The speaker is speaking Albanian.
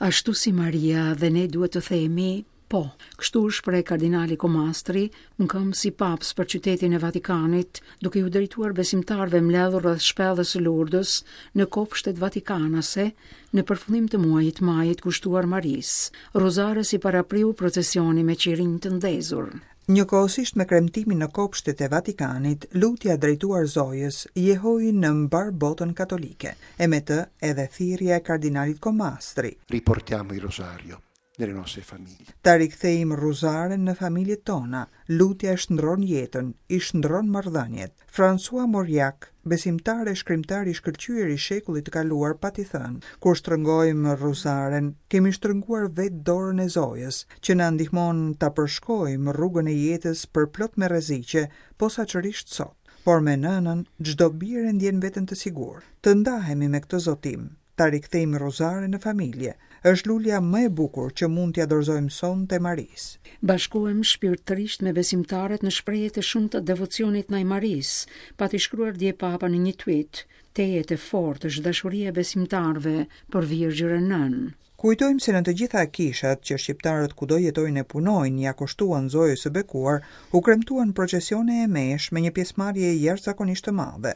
Ashtu si Maria dhe ne duhet të themi po. Kështu u shpreh kardinali Comastri, mëkëmbës i Papës për qytetin e Vatikanit, duke iu drejtuar besimtarëve mbledhur rreth shpellës së Lurdës në kopshtet vatikanase në përfundim të muajit majit kushtuar Marisë. Rruzares i parapriu procesioni me qirinj të ndezur. Njëkohësisht me kremtimin në kopshtet e Vatikanit, lutja drejtuar Zojës jehoi në mbarë botën katolike, e me të edhe thirrja e kardinalit Comastri. Riportiamo il rosario nelle nostre famiglie. Ta rikthejmë rruzaren në familjet tona. Lutja e shndërron jetën, i shndërron marrëdhëniet. François Mauriac, besimtar e shkrimtar i shkëlqyer i shekullit të kaluar pati thënë, Kur shtrëngojmë rruzaren, kemi shtrënguar vetë dorën e Zojës, që na ndihmon ta përshkojmë rrugën e jetës përplot me rreziqe, posaçërisht sot. Por me nënën, çdo bir e ndjen veten të sigurt. Të ndahemi me këtë zotim. Ta rikthejmë rruzaren në familje. Është lulja më e bukur që mund t'ia dorëzojmë sonte Marisë. Bashkohem shpirtërisht me besimtarët në shprehjet e shumta të devocionit ndaj Marisë, pati shkruar dje Papa në një tweet. Tejet e fortë është dashuria e besimtarëve për Virgjërën Nënë. Kujtojmë se në të gjitha kishat që shqiptarët kudo jetojnë e punojnë ia kushtuan Zojës së Bekuar, u kremtuan procesione e meshë me një pjesëmarrje jashtëzakonisht të madhe.